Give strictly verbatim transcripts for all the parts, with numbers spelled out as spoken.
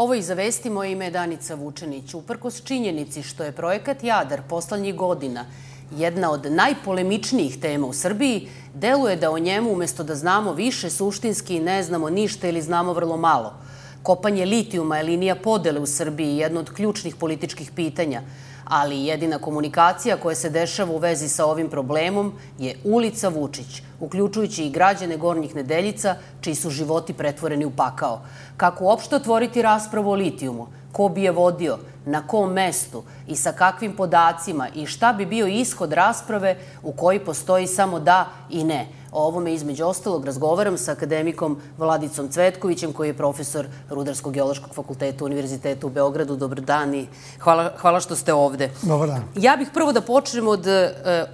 Ovo i za vesti, moje ime je Danica Vučenić. Uprkos činjenici što je projekat Jadar poslednjih godina jedna od najpolemičnijih tema u Srbiji, deluje da o njemu, umesto da znamo više, suštinski ne znamo ništa ili znamo vrlo malo. Kopanje litijuma je linija podele u Srbiji, jedno od ključnih političkih pitanja, ali jedina komunikacija koja se dešava u vezi sa ovim problemom je ulica Vučić, uključujući i građane Gornjih Nedeljica, čiji su životi pretvoreni u pakao. Kako uopšte otvoriti raspravu o litijumu? Ko bi je vodio? Na kom mestu? I sa kakvim podacima? I šta bi bio ishod rasprave u kojoj postoji samo da i ne? O ovome, između ostalog, razgovaram sa akademikom Vladicom Cvetkovićem, koji je profesor Rudarsko-geološkog fakulteta Univerziteta u Beogradu. Dobar dan i hvala, hvala što ste ovde. Dobar dan. Ja bih prvo da počnem od uh,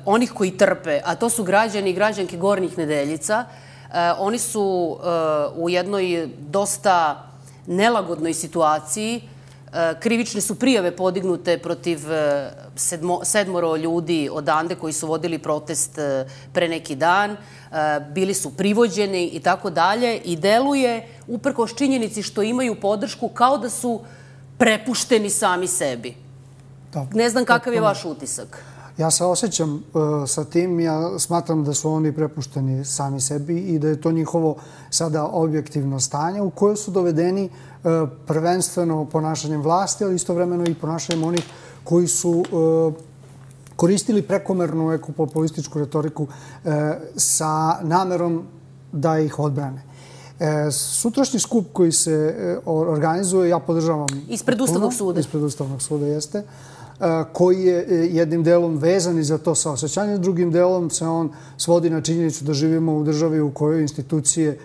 onih koji trpe, a to su građani i građanke Gornjih Nedeljica. Uh, oni su uh, u jednoj dosta nelagodnoj situaciji. Krivične su prijave podignute protiv sedmo, sedmoro ljudi odande koji su vodili protest pre neki dan. Bili su privođeni i tako dalje i deluje, uprkos činjenici što imaju podršku, kao da su prepušteni sami sebi. Da, ne znam kakav je vaš utisak. Ja se osjećam uh, sa tim. Ja smatram da su oni prepušteni sami sebi i da je to njihovo sada objektivno stanje u koje su dovedeni uh, prvenstveno ponašanjem vlasti, ali istovremeno i ponašanjem onih koji su uh, koristili prekomernu ekopopulističku retoriku uh, sa namerom da ih odbrane. E, sutrašnji skup koji se e, organizuje, ja podržavam... Ispred Ustavnog suda. Ispred Ustavnog suda, jeste. Koji je jednim delom vezan i za to saosećanje, drugim delom se on svodi na činjenicu da živimo u državi u kojoj institucije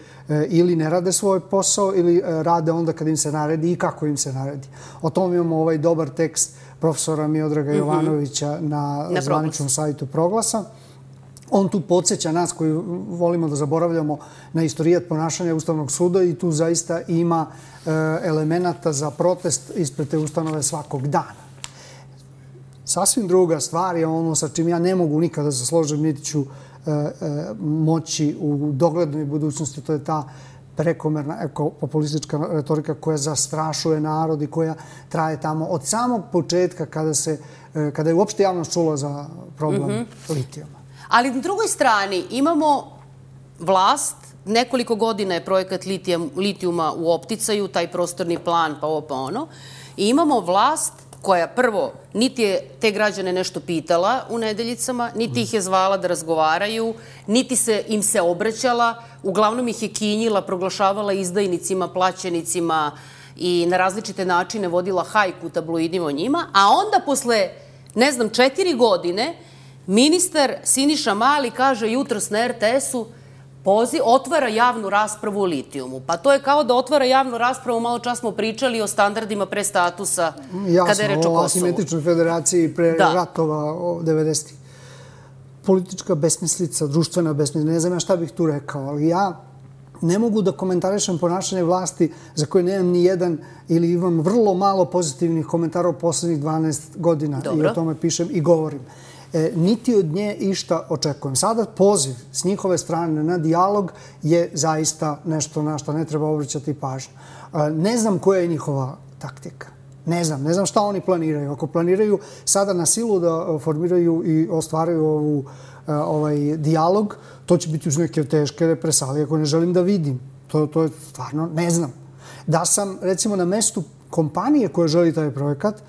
ili ne rade svoj posao ili rade onda kad im se naredi i kako im se naredi. O tom imamo ovaj dobar tekst profesora Miodraga mm-hmm. Jovanovića na, na zvaničnom sajtu Proglasa. On tu podsjeća nas koji volimo da zaboravljamo na istorijat ponašanja Ustavnog suda i tu zaista ima e, elemenata za protest ispred te ustanove svakog dana. Sasvim druga stvar je ono sa čim ja ne mogu nikada da se složim, niti ću e, e, moći u doglednoj budućnosti. To je ta prekomerna ekopopulistička retorika koja zastrašuje narod i koja traje tamo od samog početka kada, se, e, kada je uopšte javnost čula za problem mm-hmm. litijuma. Ali na drugoj strani imamo vlast, nekoliko godina je projekat litijuma u opticaju, taj prostorni plan, pa ovo pa ono, i imamo vlast koja prvo niti je te građane nešto pitala u Nedeljicama, niti ih je zvala da razgovaraju, niti se im se obraćala, uglavnom ih je kinjila, proglašavala izdajnicima, plaćenicima i na različite načine vodila hajku u tabloidima o njima, a onda posle, ne znam, četiri godine, ministar Siniša Mali kaže jutros na er te esu Pozi, otvara javnu raspravu o litijumu. Pa to je kao da otvara javnu raspravu, malo čas smo pričali o standardima pre statusa Jasno, kada je reč o Kosovu. Jasno, o asimetričnoj federaciji pre da. ratova o devedesetih. Politička besmislica, društvena besmislica, ne znam ja šta bih tu rekao, ali ja ne mogu da komentarišem ponašanje vlasti za koje nemam ni jedan ili imam vrlo malo pozitivnih komentara u poslednjih dvanaest godina. Dobro. I o tome pišem i govorim. E, niti od nje išta očekujem. Sada poziv s njihove strane na dijalog je zaista nešto na što ne treba obraćati pažnju. E, ne znam koja je njihova taktika. Ne znam. Ne znam šta oni planiraju. Ako planiraju sada na silu da formiraju i ostvaraju ovu, ovaj dijalog, to će biti uz neke teške represalije koje ne želim da vidim. To, to je stvarno, ne znam. Da sam, recimo, na mestu kompanije koja želi taj projekat,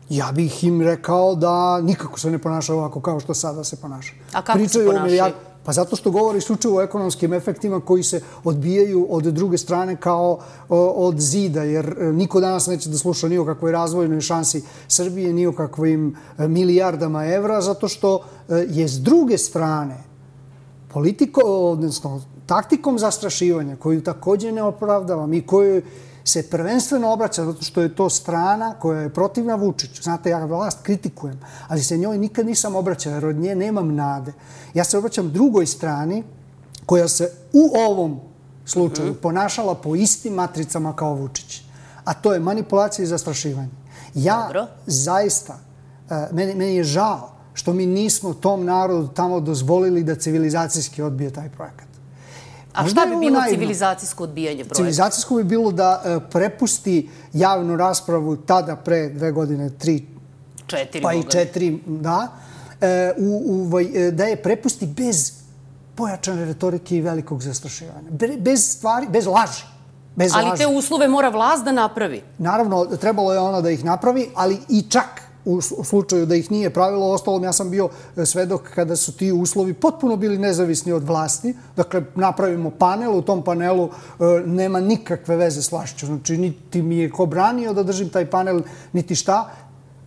ja bih im rekao da nikako se ne ponaša ovako kao što sada se ponaša. A kako Pričaju se ponašaju? Pa zato što govori isključivo o ekonomskim efektima koji se odbijaju od druge strane kao o, od zida, jer niko danas neće da sluša ni o kakvoj razvojnoj šansi Srbije, ni o kakvim milijardama evra, zato što je s druge strane politiko, odnosno taktikom zastrašivanja, koju također ne opravdavam i koju se prvenstveno obraća zato što je to strana koja je protivna Vučiću. Znate, ja vlast kritikujem, ali se njoj nikad nisam obraćao jer od nje nemam nade. Ja se obraćam drugoj strani koja se u ovom slučaju mm-hmm. ponašala po istim matricama kao Vučić. A to je manipulacija i zastrašivanje. Ja Dobro. zaista, meni, meni je žao što mi nismo tom narodu tamo dozvolili da civilizacijski odbije taj projekat. A šta bi bilo civilizacijsko odbijanje projekta? Civilizacijsko bi bilo da prepusti javnu raspravu tada pre dve godine, tri, četiri, pa i četiri, da, da je prepusti bez pojačane retorike i velikog zastrašivanja. Bez stvari, bez laži. Ali te uslove mora vlast da napravi. Naravno, trebalo je ona da ih napravi, ali i čak u slučaju da ih nije pravilo. Ostalom, ja sam bio svedok kada su ti uslovi potpuno bili nezavisni od vlasti. Dakle, napravimo panel, u tom panelu nema nikakve veze s vlašću. Znači, niti mi je ko branio da držim taj panel, niti šta.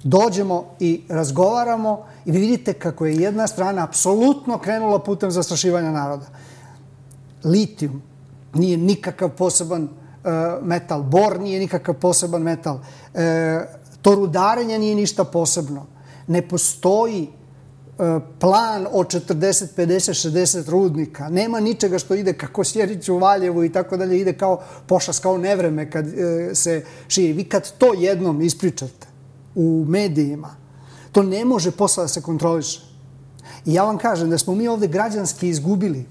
Dođemo i razgovaramo i vi vidite kako je jedna strana apsolutno krenula putem zastrašivanja naroda. Litijum nije nikakav poseban metal, bor nije nikakav poseban metal, to rudarenje nije ništa posebno. Ne postoji plan od četrdeset, pedeset, šezdeset rudnika. Nema ničega što ide kako Sjerić u Valjevu i tako dalje, ide kao pošast, kao nevreme kad se širi. Vi kad to jednom ispričate u medijima, to ne može posle da se kontroliše. I ja vam kažem da smo mi ovde građanski izgubili.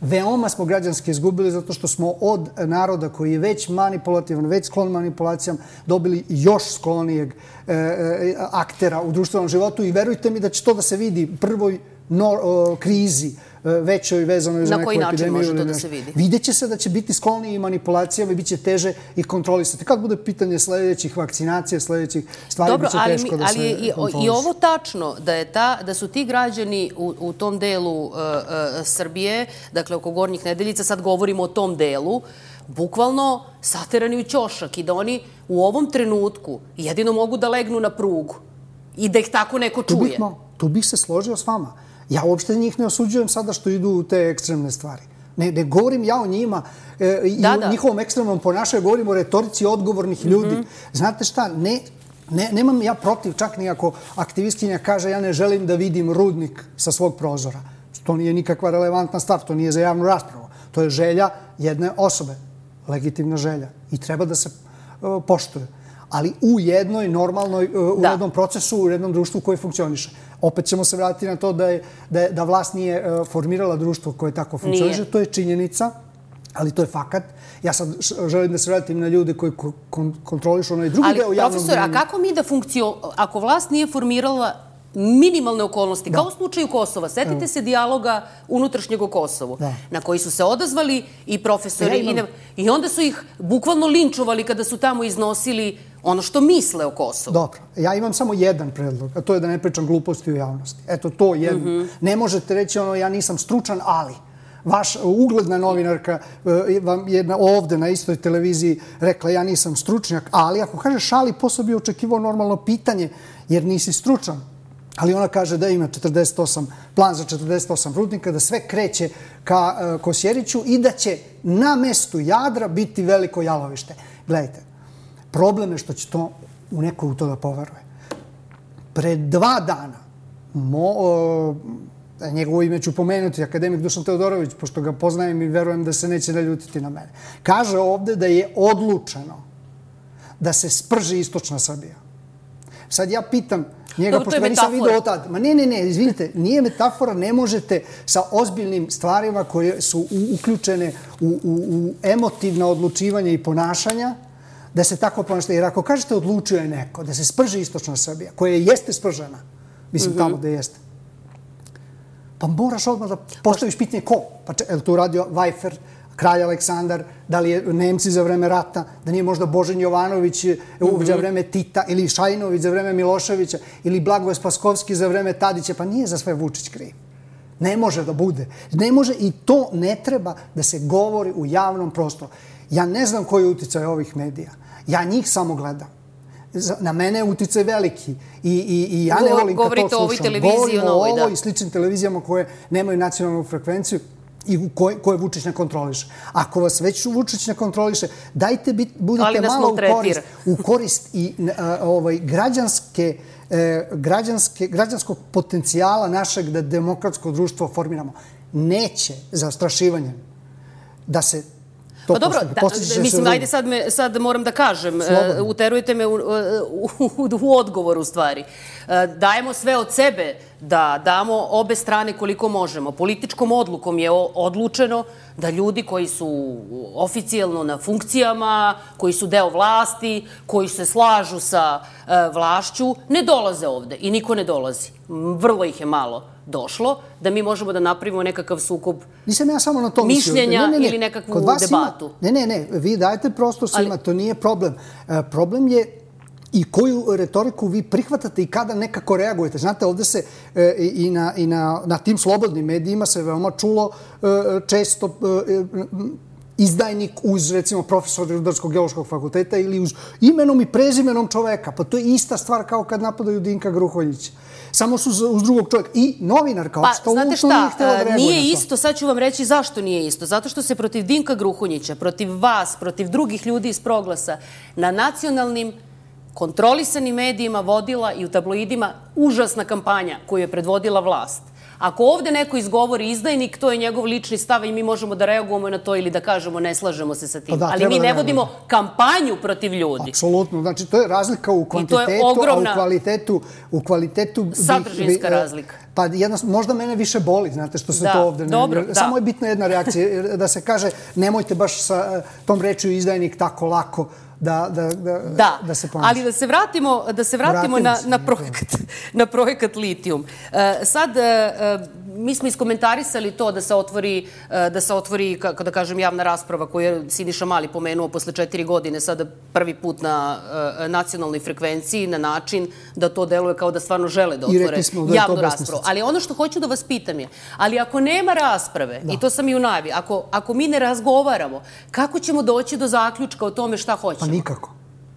Veoma smo građanski izgubili zato što smo od naroda koji je već manipulativan, već sklon manipulacijama, dobili još sklonijeg aktera u društvenom životu i verujte mi da će to da se vidi u prvoj krizi većoj vezanoj za neku epidemiju. Na koji način može to da se vidi? Vidjet će se da će biti skloniji manipulacijama i bit će teže ih kontrolisati. Kad bude pitanje sledećih vakcinacija, sledećih stvari, bit će teško da se kontroliše. Dobro, ali i ovo tačno, da su ti građani u tom delu Srbije, dakle oko Gornjih Nedeljica, sad govorimo o tom delu, bukvalno saterani u ćošak i da oni u ovom trenutku jedino mogu da legnu na prugu i da ih tako neko čuje. Tu bih se složio s vama. Ja uopšte njih ne osuđujem sada što idu u te ekstremne stvari. Ne govorim ja o njima i o njihovom ekstremnom ponašanju, govorim o retorici odgovornih ljudi. Znate šta, nemam ja protiv, čak ni ako aktivistkinja kaže ja ne želim da vidim rudnik sa svog prozora. To nije nikakva relevantna stvar, to nije za javnu raspravu. To je želja jedne osobe, legitimna želja i treba da se poštuje. Ali u jednoj normalnoj, u jednom procesu, u jednom društvu koje funkcioniše. Opet ćemo se vratiti na to da vlast nije formirala društvo koje tako funkcioniše. To je činjenica, ali to je fakat. Ja sad želim da se vratim na ljude koji kontrolišu onaj drugi deo javnog mnjenja. Ali, profesor, a kako mi da funkcioniš, ako vlast nije formirala minimalne okolnosti, kao u slučaju Kosova. Setite se dijaloga unutrašnjeg o Kosovu, na koji su se odazvali i profesori i onda su ih bukvalno linčovali kada su tamo iznosili ono što misle o Kosovu. Dobro. Ja imam samo jedan predlog, a to je da ne pričam gluposti u javnosti. Eto, to jedno. Ne možete reći ono, ja nisam stručan, ali vaš ugledna novinarka vam jedna ovde na istoj televiziji rekla ja nisam stručnjak, ali ako kažeš ali, posle bi očekivao normalno pitanje, jer nisi stručan. Ali ona kaže da ima četrdeset osam, plan za četrdeset osam rudnika, da sve kreće ka Kosjeriću i da će na mestu Jadra biti veliko jalovište. Gledajte, problem je što će to u neko u to da poveruje. Pre dva dana, njegovo ime ću pomenuti, akademik Dušan Teodorović, pošto ga poznajem i verujem da se neće naljutiti na mene, kaže ovde da je odlučeno da se sprži istočna Srbija. Sad ja pitam njega, pošto ga nisam vidio od tada. Ma ne, ne, ne, izvinite, nije metafora, ne možete sa ozbiljnim stvarima koje su uključene u emotivna odlučivanja i ponašanja, da se tako ponašate. Jer ako kažete odlučio je neko da se sprži istočna Srbija, koja jeste spržena, mislim tamo da jeste, pa moraš odmah da postaviš pitanje ko? Pa je li to uradio Vajfer, kralj Aleksandar, da li je Nemci za vreme rata, da nije možda Božen Jovanović za vreme Tita, ili Šajinović za vreme Miloševića, ili Blagoje Spaskovski za vreme Tadića, pa nije za sve Vučić kriv. Ne može da bude. Ne može i to ne treba da se govori u javnom prostoru. Ja ne znam koji je uticaj ovih medija. Ja njih samo gledam. Na mene je uticaj veliki i ja ne volim kad to slušam. Govorite o ovoj televiziji, o novoj, da. Govorimo o ovoj i sličnim televizijama koje nemaju nacionalnu frekvenciju i koje Vučić ne kontroliše. Ako vas već Vučić ne kontroliše, dajte budite malo u korist i građanskog potencijala našeg da demokratsko društvo formiramo. Neće zastrašivanjem da se Pa dobro, mislim, ajde sad moram da kažem, uterujete me u odgovor u stvari. Dajemo sve od sebe da damo obe strane koliko možemo. Političkom odlukom je odlučeno da ljudi koji su oficijalno na funkcijama, koji su deo vlasti, koji se slažu sa vlašću, ne dolaze ovde i niko ne dolazi. Vrlo ih je malo došlo, da mi možemo da napravimo nekakav sukob mišljenja ili nekakvu debatu. Ne, ne, ne, vi dajete prostor svima, to nije problem. Problem je i koju retoriku vi prihvatate i kada nekako reagujete. Znate, ovde se i na tim slobodnim medijima se veoma čulo često izdajnik uz, recimo, profesor Rudarsko-geološkog fakulteta ili uz imenom i prezimenom čoveka. Pa to je ista stvar kao kad napadaju Dinka Gruhonjića. Samo su uz drugog čovjeka. I novinarka apsolutno nije htjela da reaguje na to. Nije isto, sad ću vam reći zašto nije isto. Zato što se protiv Dinka Gruhonjića, protiv vas, protiv drugih ljudi iz Proglasa, na nacionalnim kontrolisanim medijima vodila i u tabloidima užasna kampanja koju je predvodila vlast. Ako ovde neko izgovori izdajnik, to je njegov lični stav i mi možemo da reagujemo na to ili da kažemo ne slažemo se sa tim. Ali mi ne vodimo kampanju protiv ljudi. Apsolutno. Znači, to je razlika u kvantitetu, a u kvalitetu... u kvalitetu sadržinska razlika. Pa možda mene više boli, znate, što se to ovde... Samo je bitna jedna reakcija, da se kaže nemojte baš sa tom rečju izdajnik tako lako da se ponaša. Ali da se vratimo na projekat Litijum. Sad, mi smo iskomentarisali to da se otvori, da se otvori, kako da kažem, javna rasprava koju je Siniša Mali pomenuo posle četiri godine, sada prvi put na nacionalnoj frekvenciji, na način da to deluje kao da stvarno žele da otvore javnu raspravu. Ali ono što hoću da vas pitam je, ali ako nema rasprave, i to sam i u najavi, ako mi ne razgovaramo, kako ćemo doći do zaključka o tome šta hoćemo? Pa nikako.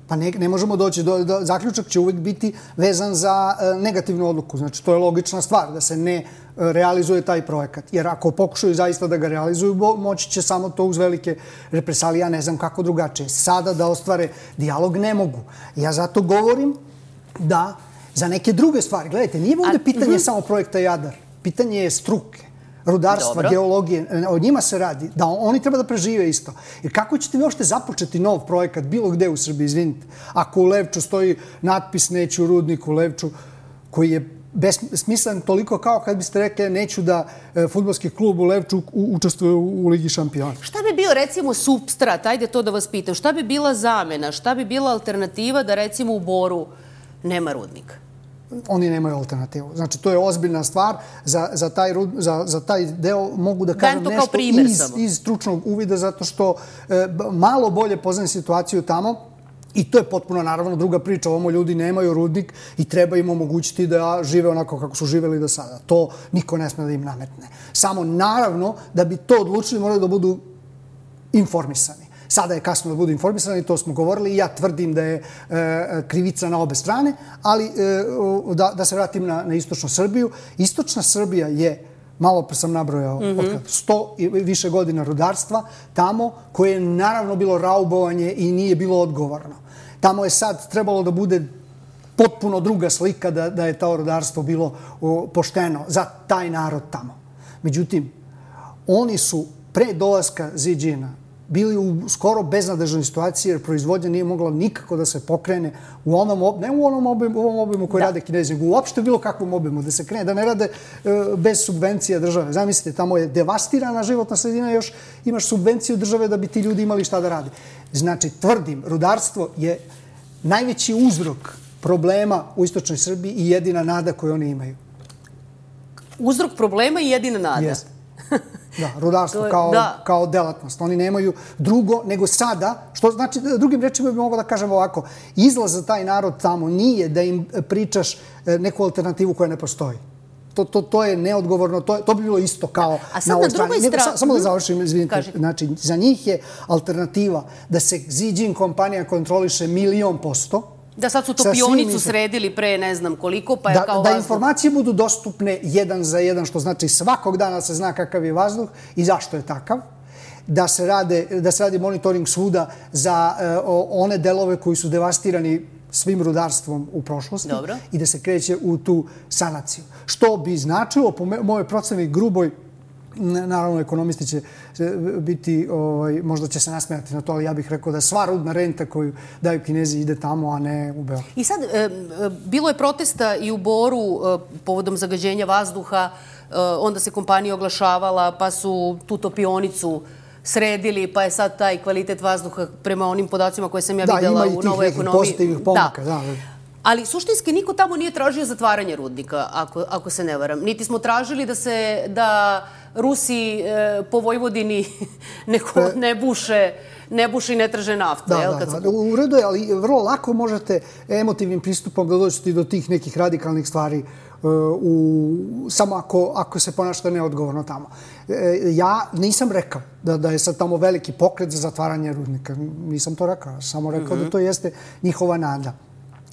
Pa ne možemo doći do... Zaključak će uvijek biti vezan za negativnu odluku. Znači, to je logična stvar, da se ne realizuje taj projekat. Jer ako pokušaju zaista da ga realizuju, moći će samo to uz velike represalije. Ja ne znam kako drugačije. Sada da ostvare dijalog ne mogu. Ja zato govorim da za neke druge stvari, gledajte, nije ovdje pitanje samo projekta Jadar. Pitanje je struke, rudarstva, geologije, o njima se radi, da oni treba da prežive isto. Jer kako ćete vi uopšte započeti nov projekat bilo gde u Srbiji, izvinite, ako u Levču stoji natpis neću u rudniku u Levču, koji je besmislen toliko kao kad biste rekli neću da fudbalski klub u Levču učestvuje u Ligi šampiona. Šta bi bio, recimo, supstrat, ajde to da vas pitam, šta bi bila zamena, šta bi bila alternativa da, recimo, u Boru nema rudnika? Oni nemaju alternativu. Znači, to je ozbiljna stvar. Za taj deo mogu da kažem nešto iz stručnog uvida, zato što malo bolje poznajem situaciju tamo i to je potpuno, naravno, druga priča. Ovamo ljudi nemaju rudnik i treba im omogućiti da žive onako kako su živeli do sada. To niko ne sme da im nametne. Samo, naravno, da bi to odlučili, moraju da budu informisani. Sada je kasno da budu informisani, to smo govorili i ja tvrdim da je krivica na obe strane, ali da se vratim na istočnu Srbiju. Istočna Srbija je, malo pre sam nabrojao, sto i više godina rudarstva, tamo koje je naravno bilo raubovanje i nije bilo odgovorno. Tamo je sad trebalo da bude potpuno druga slika da je to rudarstvo bilo pošteno za taj narod tamo. Međutim, oni su pre dolaska Ziđina bili u skoro beznadežnoj situaciji jer proizvodnja nije mogla nikako da se pokrene u onom, ne u onom ovom obimu koji rade Kinezi, nego uopšte bilo kakvom obimu, da se krene, da ne rade bez subvencija države. Zamislite, tamo je devastirana životna sredina, još imaš subvenciju države da bi ti ljudi imali šta da rade. Znači, tvrdim, rudarstvo je najveći uzrok problema u istočnoj Srbiji i jedina nada koju oni imaju. Uzrok problema i jedina nada? Jeste. Da, rudarstvo kao delatnost. Oni nemaju drugo nego sada, što znači, drugim rečima bi mogao da kažem ovako, izlaz za taj narod tamo nije da im pričaš neku alternativu koja ne postoji. To je neodgovorno, to bi bilo isto kao na ovoj strani. Samo da završim, izvinite. Znači, za njih je alternativa da se Ziđin kompanija kontroliše milion posto. Da sad su topionicu sredili pre ne znam koliko, pa je kao vazduh. Da informacije budu dostupne jedan za jedan, što znači svakog dana se zna kakav je vazduh i zašto je takav. Da se radi monitoring svuda za one delove koji su devastirani svim rudarstvom u prošlosti i da se kreće u tu sanaciju. Što bi značilo, po mojoj proceni gruboj, naravno ekonomisti će biti, ovaj, možda će se nasmijati na to, ali ja bih rekao da sva rudna renta koju daju Kinezi ide tamo, a ne u Beograd. I sad, e, bilo je protesta i u Boru e, povodom zagađenja vazduha, e, onda se kompanija oglašavala, pa su tu topionicu sredili, pa je sad taj kvalitet vazduha prema onim podacima koje sam ja videla u Novoj ekonomiji. Da, ima i tih nekih pozitivnih pomaka, da. Ali suštinski niko tamo nije tražio zatvaranje rudnika, ako, ako se ne varam. Niti smo tražili da se, da Rusi e, po Vojvodini neko ne buše, ne buše i ne traže naftu. Da, jel, da, kad da. smo... U redu je, ali vrlo lako možete emotivnim pristupom da dođete do tih nekih radikalnih stvari u, samo ako, ako se ponašate neodgovorno tamo. E, ja nisam rekao da, da je sad tamo veliki pokret za zatvaranje rudnika. Nisam to rekao. Samo rekao mm-hmm. da to jeste njihova nada.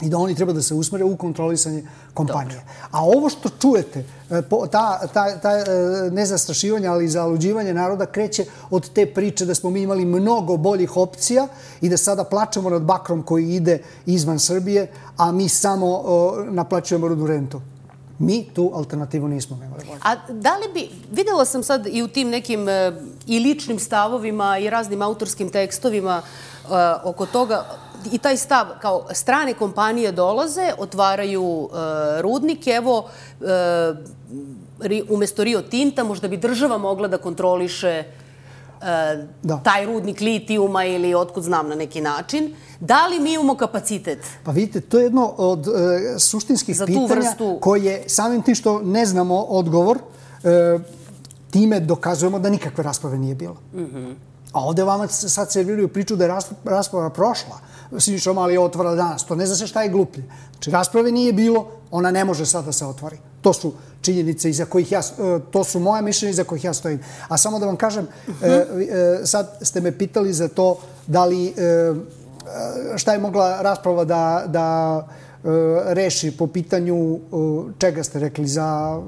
I da oni treba da se usmere u kontrolisanje kompanije. Dobro. A ovo što čujete, ta, ta, ta nezastrašivanje, ali i zaluđivanje naroda kreće od te priče da smo mi imali mnogo boljih opcija i da sada plačemo nad bakrom koji ide izvan Srbije, a mi samo o, naplaćujemo rudnu rentu. Mi tu alternativu nismo imali. A da li bi, videla sam sad i u tim nekim e, i ličnim stavovima i raznim autorskim tekstovima e, oko toga, i taj stav, kao strane kompanije dolaze, otvaraju e, rudnik, evo, e, ri, umjesto Rio Tinta, možda bi država mogla da kontroliše e, da. taj rudnik litijuma ili otkud znam na neki način. Da li mi imamo kapacitet? Pa vidite, to je jedno od e, suštinskih pitanja vrstu... koje samim tim što ne znamo odgovor, e, time dokazujemo da nikakve rasprave nije bilo. Mm-hmm. A ovde vama sad serviraju priču da je rasprava prošla. Siniša Mali je otvorila danas. To ne zna se šta je gluplje. Znači, rasprave nije bilo, ona ne može sad da se otvori. To su činjenice iza kojih ja, to su moja mišljenja iza kojih ja stojim. A samo da vam kažem, uh-huh. sad ste me pitali za to da li, šta je mogla rasprava da, da reši po pitanju, čega ste rekli, za...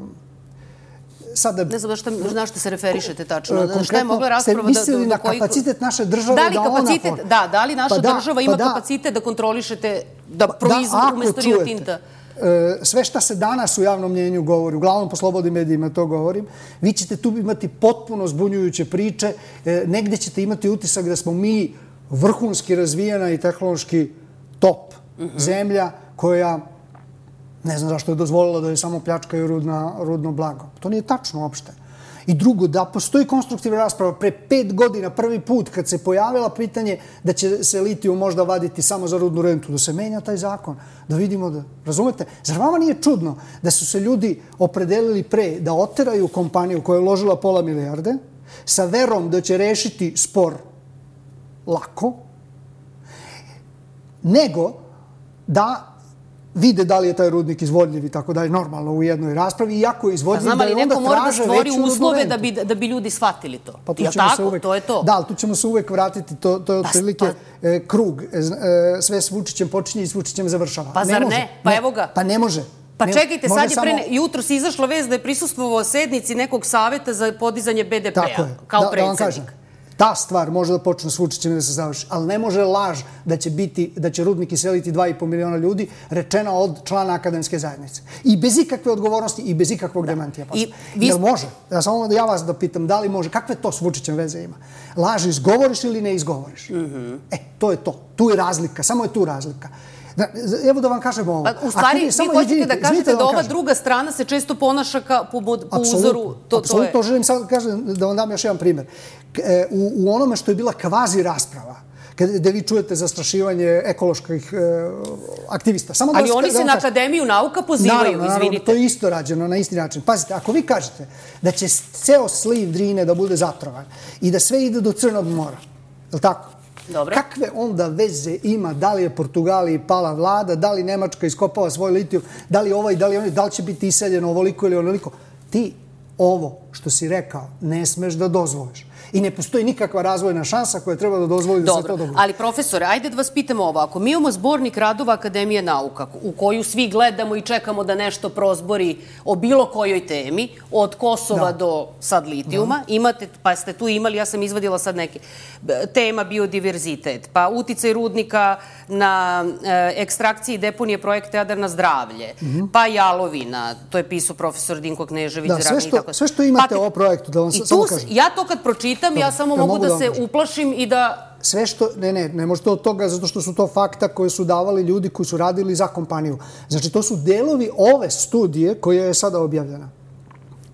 Sada, ne znam na što, na što se referišete tačno. Šta je mogla rasprava da... Ste mislili na kapacitet naše države da, li da kapacitet, ona... Da, da li naša pa da, država ima pa da, kapacitet da kontrolišete, da proizvod umjesto Rio Tinta? Sve šta se danas u javnom mnjenju govori, uglavnom po slobodnim medijima to govorim, vi ćete tu imati potpuno zbunjujuće priče, negdje ćete imati utisak da smo mi vrhunski razvijena i tehnološki top mm-hmm. zemlja koja... Ne znam zašto je dozvolila da je samo pljačkaju rudna, rudno blago. To nije tačno uopšte. I drugo, da postoji konstruktivna rasprava. Pre pet godina, prvi put, kad se pojavila pitanje da će se litijum možda vaditi samo za rudnu rentu, da se menja taj zakon, da vidimo da... Razumete? Zar vama nije čudno da su se ljudi opredelili pre da oteraju kompaniju koja je uložila pola milijarde sa verom da će rešiti spor lako, nego da vide da li je taj rudnik izvodljiv i tako dalje, normalno u jednoj raspravi, iako je izvodljiv, znam, da je onda traže veću rudnu rentu. Znam, ali neko mora da stvori uslove da bi, da bi ljudi shvatili to. Pa tu ja, ćemo tako, se uvek, to je to. Da, ali tu ćemo se uvek vratiti, to, to je otprilike pa, e, krug. E, sve s Vučićem počinje i s Vučićem završava. Pa zar ne? Može. Pa ne, evo ga. Pa ne može. Pa ne, čekajte, sad je samo... pre, jutro si izašla vez da je prisustvovao sednici nekog saveta za podizanje be de pe-a. Tako je. Kao da, predsjednik. Da vam kažem. Ta stvar može da počne s Vučićem i da se završi, ali ne može laž da će biti, da će rudnik iseliti dva i po miliona ljudi, rečena od člana akademske zajednice. I bez ikakve odgovornosti i bez ikakvog da. demantija. I vi... Jel može? Ja samo da ja vas da pitam, da li može? Kakve to s Vučićem veze ima? Laž izgovoriš ili ne izgovoriš? Mm-hmm. E, to je to. Tu je razlika. Samo je tu razlika. Da, evo da vam kažem ovo. Pa, u stvari, vi hoćete izvinite, da kažete da, da ova kažem. druga strana se često ponaša ka, po, po Absolut, uzoru. To, apsolutno, to je... želim sad da kažem, da vam dam još jedan primjer. U, u onome što je bila kvazi rasprava, gde vi čujete zastrašivanje ekoloških e, aktivista. Samo Ali da oni da se na kažem. Akademiju nauka pozivaju, naravno, izvinite. Naravno, to je isto rađeno na isti način. Pazite, ako vi kažete da će ceo sliv Drine da bude zatrovan i da sve ide do Crnog mora, je li tako? Dobre. Kakve onda veze ima da li je Portugaliji pala vlada, da li Nemačka iskopava svoj litijum, da li ovaj, da li oni, da li će biti iseljeno ovoliko ili onoliko? Ti ovo što si rekao ne smeš da dozvoliš. I ne postoji nikakva razvojna šansa koja treba da dozvoli da se to dogodi. Ali profesore, ajde da vas pitamo ovako. Mi imamo zbornik radova Akademije nauka u koju svi gledamo i čekamo da nešto prozbori o bilo kojoj temi, od Kosova do sad litijuma. Imate, pa ste tu imali, ja sam izvadila sad neke, tema biodiverzitet, pa uticaj rudnika na ekstrakciji deponije projekta Jadar na zdravlje, pa jalovina, to je pisao profesor Dinko Knežević. Da, sve što imate o projektu, da vam samo kažem. Ja to kad pročitam, ja samo mogu da se uplašim i da... Sve što, ne, ne, ne možete od toga, zato što su to fakta koje su davali ljudi koji su radili za kompaniju. Znači, to su delovi ove studije koja je sada objavljena.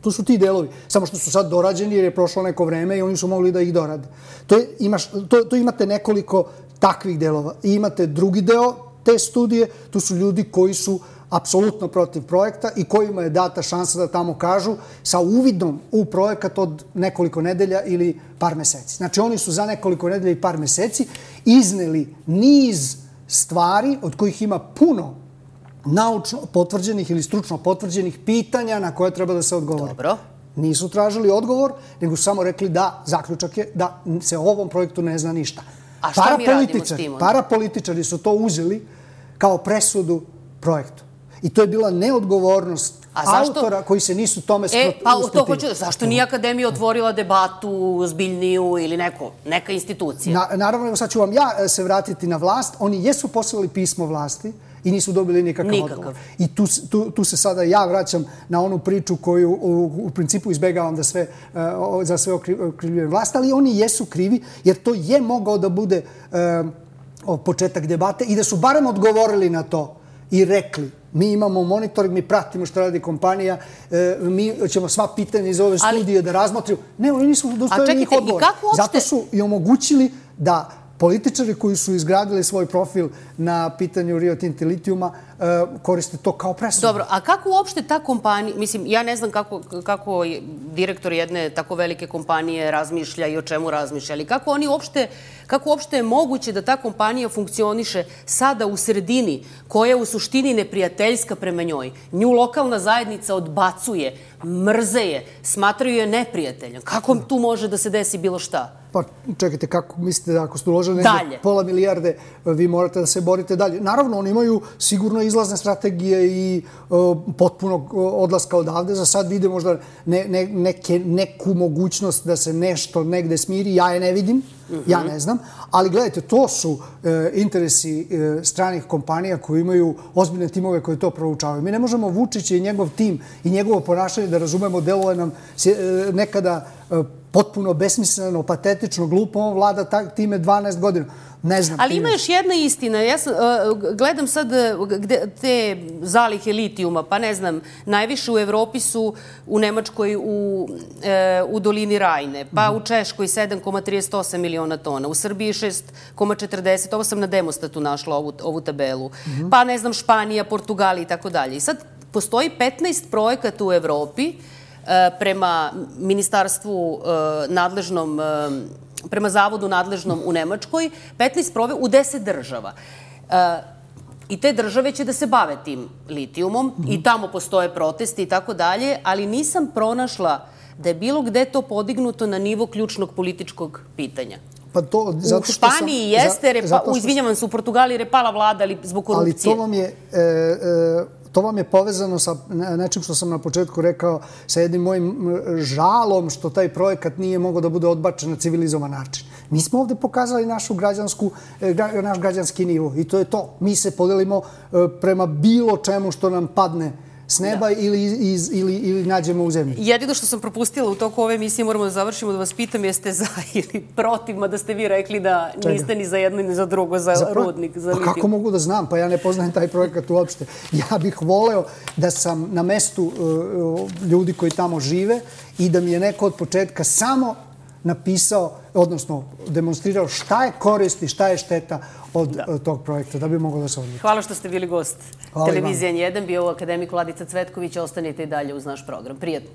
To su ti delovi, samo što su sad dorađeni jer je prošlo neko vreme i oni su mogli da ih dorade. To, je, imaš, to, to imate nekoliko takvih delova. I imate drugi deo te studije, tu su ljudi koji su apsolutno protiv projekta i kojima je data šansa da tamo kažu sa uvidom u projekat od nekoliko nedelja ili par meseci. Znači, oni su za nekoliko nedelja i par meseci izneli niz stvari od kojih ima puno naučno potvrđenih ili stručno potvrđenih pitanja na koje treba da se odgovori. Dobro. Nisu tražili odgovor, nego su samo rekli da zaključak je da se o ovom projektu ne zna ništa. A šta mi radimo s tim? Parapolitičari su to uzeli kao presudu projektu. I to je bila neodgovornost autora koji se nisu tome usprotivili. E, pa to hoću da, zašto nije Akademija otvorila debatu zbiljniju ili neko, neka institucija? Naravno, sad ću vam ja se vratiti na vlast. Oni jesu poslali pismo vlasti i nisu dobili nikakav odgovor. I tu, tu, tu se sada ja vraćam na onu priču koju u, u principu izbegavam da sve, uh, za sve okrivljujem vlast, ali oni jesu krivi jer to je mogao da bude uh, početak debate i da su barem odgovorili na to i rekli mi imamo monitoring, mi pratimo što radi kompanija, e, mi ćemo sva pitanja iz ove studije ali, da razmotrimo. Ne, oni nisu dostojili njih odgovor. Uopšte... Zato su i omogućili da političari koji su izgradili svoj profil na pitanju Rio Tinto litijuma e, koriste to kao presudu. Dobro, a kako uopšte ta kompanija, mislim, ja ne znam kako, kako direktor jedne tako velike kompanije razmišlja i o čemu razmišlja, ali kako oni uopšte, kako uopšte je moguće da ta kompanija funkcioniše sada u sredini koja je u suštini neprijateljska prema njoj. Nju lokalna zajednica odbacuje, mrze je, smatraju je neprijateljem. Kako tu može da se desi bilo šta? Pa čekajte, kako mislite da ako ste uložili negdje pola milijarde, vi morate da se borite dalje. Naravno, oni imaju sigurno izlazne strategije i uh, potpunog odlaska odavde. Za sad vide možda ne, ne, neke, neku mogućnost da se nešto negde smiri. Ja je ne vidim, mm-hmm. ja ne znam. Ali gledajte, to su uh, interesi uh, stranih kompanija koji imaju ozbiljne timove koje to proučavaju. Mi ne možemo Vučić i njegov tim i njegovo ponašanje da razumemo, deluje nam uh, nekada uh, potpuno besmisleno, patetično, glupo, on vlada time dvanaest godina. Ne znam. Ali ima još jedna istina. Ja sam, uh, gledam sad gde, te zalihe litijuma, pa ne znam, najviše u Evropi su u Nemačkoj u, uh, u dolini Rajne, pa mm. u Češkoj sedam zarez trideset osam miliona tona, u Srbiji šest zarez četrdeset, ovo sam na Demostatu našla ovu, ovu tabelu, mm. pa ne znam, Španija, Portugali i tako dalje. I sad postoji petnaest projekata u Evropi prema ministarstvu nadležnom, prema zavodu nadležnom u Nemačkoj, petnaest prove u deset država. I te države će da se bave tim litijumom i tamo postoje protesti i tako dalje, ali nisam pronašla da je bilo gde to podignuto na nivo ključnog političkog pitanja. Pa to, zato u Španiji sam, jeste, repa, zato što... izvinjavam se, u Portugaliji repala vlada, ali zbog korupcije. Ali to vam je... E, e, To vam je povezano sa nečim što sam na početku rekao, sa jednim mojim žalom što taj projekat nije mogao da bude odbačen na civilizovan način. Mi smo ovde pokazali našu građansku, naš građanski nivo i to je to. Mi se podelimo prema bilo čemu što nam padne s neba da. ili, iz, ili, ili nađemo u zemlji. Jedino što sam propustila u toku ove emisije, moramo da završimo, da vas pitam jeste za ili protiv, mada ste vi rekli da Čega? niste ni za jedno ni za drugo, za, za rudnik, za litijum. Pa kako mogu da znam? Pa ja ne poznajem taj projekat uopšte. Ja bih voleo da sam na mestu uh, ljudi koji tamo žive i da mi je neko od početka samo napisao, odnosno demonstrirao šta je korist i šta je šteta od da. tog projekta, da bi moglo da se odluči. Hvala što ste bili gost. Televizija N jedan, bio akademik Vladica Cvetković. Ostanite i dalje uz naš program. Prijetno.